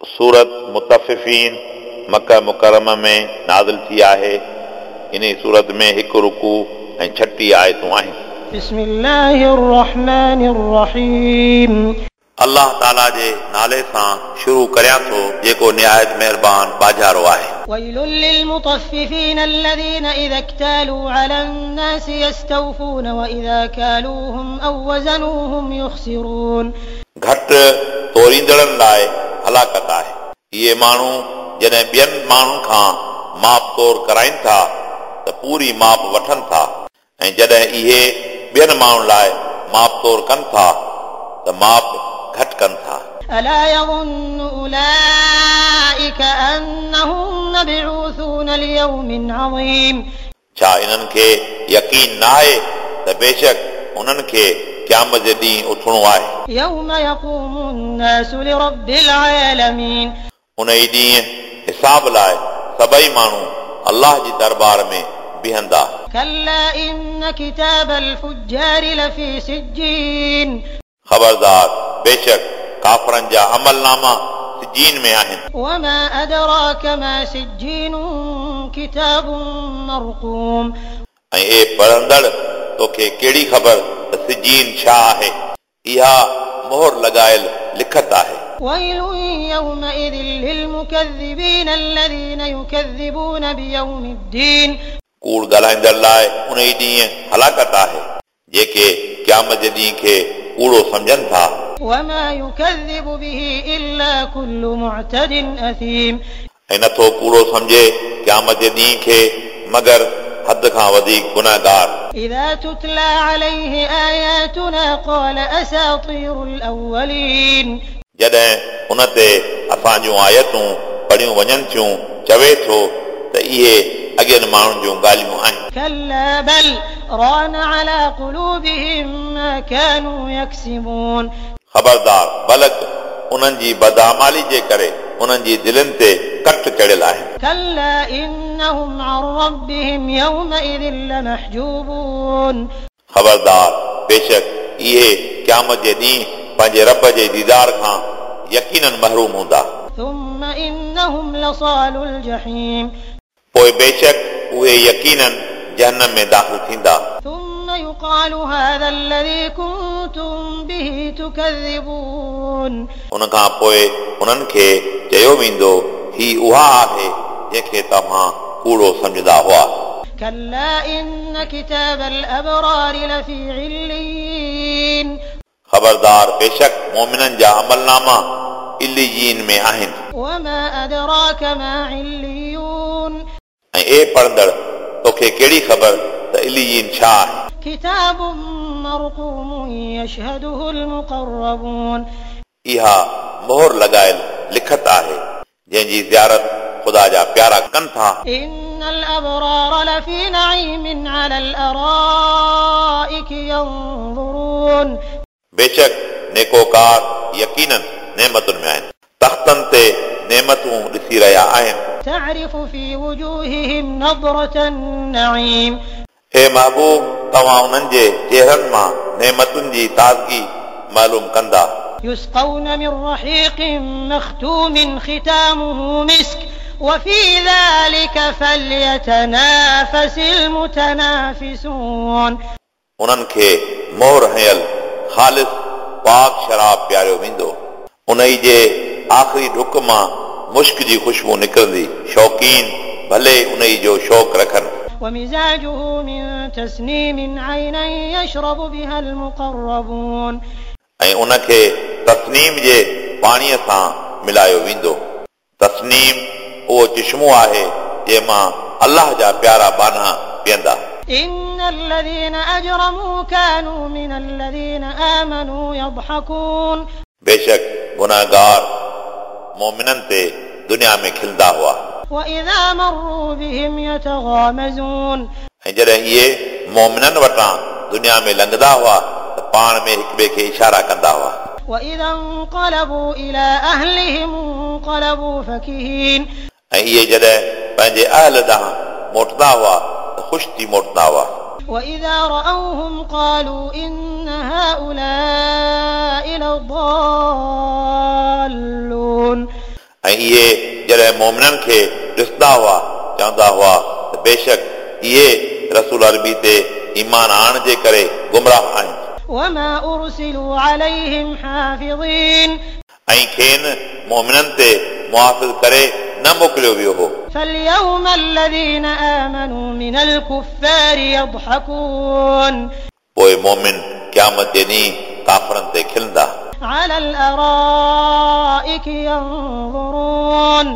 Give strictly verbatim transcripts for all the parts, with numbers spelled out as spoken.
सूरत मुतफ़िफ़ीन मक्का मुकर्रमा में नाज़िल थी आहे। इन सूरत में हिकु रुकू ऐं छटीह आयतूं आहिनि। बिस्मिल्लाहिर रहमानिर रहीम। अल्लाह ताला जे नाले सां शुरू करियां थो जेको निहायत महिरबान बाजारो आहे। वैलुल लिलमुतफ़िफ़ीन अल्लज़ीना इज़ा इक्तालू अलन नासि यस्तौफ़ून व इज़ा कालूहुम अव वज़नूहुम युख़सिरून। घटि तोरींदड़नि लाइ हलाकत आहे। इहे माण्हू जॾहिं ॿियनि माण्हुनि खां माप तोर कराइनि था त पूरी माप वठनि था, ऐं जॾहिं इहे ॿियनि माण्हुनि लाइ माप तोर कनि था त माप घटि कनि था। अला यज़ुन्नु उलाइक अन्नहुम मबऊसून लियौमिन अज़ीम। छा इन्हनि खे यकीन न आहे त बेशक उन्हनि खे क़यामत जे ॾींहुं उथणो आहे। यौम यक़ूमुन नासु लिरब्बिल आलमीन। उन ई ॾींहुं हिसाब लाइ सभई माण्हू अल्लाह जी दरबार में बीहंदा। कल्ला इन्न किताबल फुज्जार लफी सिज्जीन। ख़बरदार, बेशक काफ़रनि जा अमलनामा सिज्जीन में आहिनि। वमा अदराक मा सिज्जीन किताबुन मरक़ूम। ऐं ए पढ़ंदड़, तोखे कहिड़ी ख़बर त सिज्जीन छा आहे? इहा मोहर लॻायल लिखत आहे। वैलुन यौमइज़िन लिलमुकज़्ज़िबीन अल्लज़ीना युकज़्ज़िबून बियौमिद्दीन। कूड़ ॻाल्हाईंदड़ लाइ उन ई ॾींहुं हलाकत आहे जेके क़यामत जे ॾींहं खे कूड़ो सम्झनि था। वमा युकज़्ज़िबु बिही इल्ला कुल्लु मुअतदिन असीम। ऐं नथो कूड़ो सम्झे क़यामत जे ॾींहं खे मगर हद खां वधीक गुनाहगार। इज़ा तुतला अलैहि आयातुना क़ाल असातीरुल अव्वलीन। जॾहिं उन ते असां जूं आयतूं पढ़ियूं वञनि थियूं, चवे थो त इहे अॻियनि माण्हुनि जूं ॻाल्हियूं आहिनि। कल्ला बल रान अला क़ुलूबिहिम मा कानू यक्सिबून। ख़बरदार, बल्कि उन्हनि जी बदामाली जे करे उन्हनि जी दिलनि ते कट चढ़ियल आहे। कल्ला इन्नहुम अन रब्बिहिम यौमइज़िन लमहजूबून। ख़बरदार, बेशक इहे क़यामत जे ॾींहुं पंहिंजे रब जे दीदार खां यकीनन महरूम हूंदा। थुम्मा इन्नहुम लसालुल जहीम। पोइ बेशक उहे यकीनन जहन्नम में दाख़िल थींदा। थुम्मा युक़ालु हाज़ा अल्लज़ी कुंतुम बिही तुकज़्ज़िबून। उन खां पोइ उन्हनि खे चयो वेंदो, ही उहा आहे जंहिंखे तव्हां कूड़ो सम्झंदा हुआ। कल्ला इन्न किताबल अबरार लफ़ी इल्लिय्यीन। ख़बरदार, बेशक मोमिननि जा अमलनामा इल्लिय्यीन में आहिनि। वमा अदराक मा इल्लियून। ऐं ए पढ़ंदड़, तोखे कहिड़ी ख़बर त इल्लिय्यीन छा आहे? किताबुन मरक़ूम यशहदुहुल मुक़र्रबून। इहा मोहर लॻायल लिखत आहे जंहिंजी ज़ियारत ख़ुदा जा प्यारा कनि था। इन्नल अबरार लफ़ी नईमिन अलल अराइक यंज़ुरून। बेशक नेकोकार यकीनन नेमतुनि में आहिनि, तख़्तनि ते नेमतूं ॾिसी रहिया आहिनि। तअरिफ़ु फ़ी वजूहिहिम नज़रतन नईम। हे महबूब, तव्हां उन्हनि जे चेहरनि मां नेमतुनि जी ताज़गी मालूम कंदा। युस्क़ौन मिन रहीक़िन मख़तूमिन ख़ितामुहु मिस्क वफ़ी ज़ालिका फ़ल्यतनाफ़सिल मुतनाफ़िसून। उन्हनि खे मोहर हयल ख़ालिस पाक शराब पीआरियो वेंदो। उन ई जे आख़िरी ढुक मां मुश्क जी ख़ुशबू निकिरंदी। शौक़ीन भले उन ई जो शौक़ रखनि। वमिज़ाजुहु मिन तस्नीमिन ऐनन यशरबु बिहा अल-मुक़र्रबून। ऐं उनखे तस्नीम जे पाणीअ सां मिलायो वेंदो। तस्नीम उहो चिश्मो आहे जंहिं अल्लाह जा प्यारा बाना पीअंदा। इन्नल्लज़ीना अजरमू कानू मिनल्लज़ीना आमनू यضحकून। बेशक गुनाहगार मोमिननि ते दुनिया में खिलंदा हुआ। वइज़ा मर्रू बिहिम यतगामज़ून। ऐं जॾहिं इहे मोमिननि वटां दुनिया में लंघंदा हुआ त पाण में हिक ॿिए खे इशारा कंदा हुआ। वइज़ा इंक़लबू इला अहलिहिम इंक़लबू फकिहीन। ऐं इहे जॾहिं पंहिंजे अहल ॾांहुं मोटंदा हुआ त ख़ुशि थी मोटंदा हुआ। वइज़ा रअौहुम क़ालू इन्न हाउलाइ लदाल्लून। ऐं इहे जॾहिं मोमिननि खे ॾिसंदा हुआ चवंदा हुआ त बेशक इहे रसूल अरबी ते ईमान आणण जे करे गुमराह आहिनि। وما أرسلوا عليهم حافظين ऐं खेनि मोमिननि ते मुहाफ़िज़ करे न मोकिलियो वियो हो। فاليوم الذين آمنوا من الكفار يضحكون पोइ मोमिन क़यामत जे ॾींहुं काफ़रनि ते खिलंदा। على الأرائك ينظرون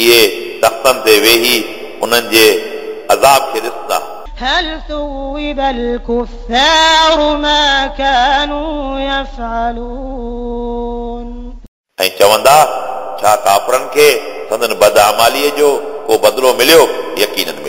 इहे तख़्तनि ते वेही उन्हनि जे अज़ाब खे ॾिसंदा। هل ثوب الكفار ما كانوا يفعلون ऐं चवंदा छा काफ़रनि खे संदन बदआमालीअ जो को बदिलो मिलियो? यकीनन मिलियो।